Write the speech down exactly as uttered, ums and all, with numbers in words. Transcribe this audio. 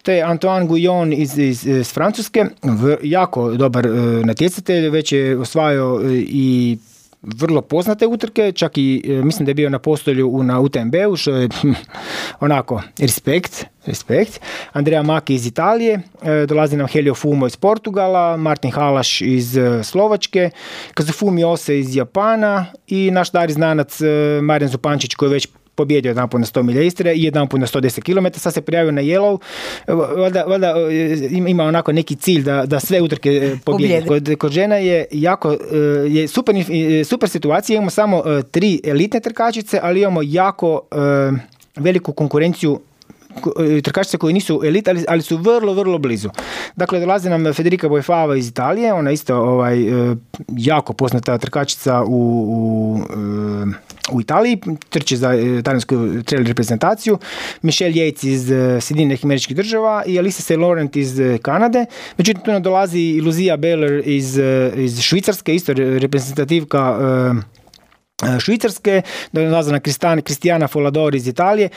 te Antoine Guyon iz, iz, iz Francuske, v, jako dobar uh, natjecatelj, već je osvajao uh, i vrlo poznate utrke, čak i mislim da je bio na postolju na U T M B-u, što je onako respekt, respekt. Andrea Maki iz Italije, dolazi nam Helio Fumo iz Portugala, Martin Halaš iz Slovačke, Kazufumi Ose iz Japana i naš stari znanac Marijan Zupančić koji je već pobjedio jedan put na sto milja Istre i jedan put na sto deset kilometara, sad se prijavio na Yellow, valjda, valjda ima onako neki cilj da, da sve utrke pobjedi. Kod, kod žena je jako, je super, super situacija, imamo samo tri elitne trkačice, ali imamo jako veliku konkurenciju trkačice koji nisu elit, ali, ali su vrlo, vrlo blizu. Dakle, dolazi nam Federica Boifava iz Italije, ona isto ovaj, jako poznata trkačica u, u, u Italiji, trči za talijansku trail reprezentaciju, Michelle Yates iz Sjedinjenih Američkih Država i Alisa Saint Laurent iz Kanade. Međutim, tu nam dolazi Luzia Beller iz, iz Švicarske, isto reprezentativka Švicarske, dolazi na Kristijana Folador iz Italije.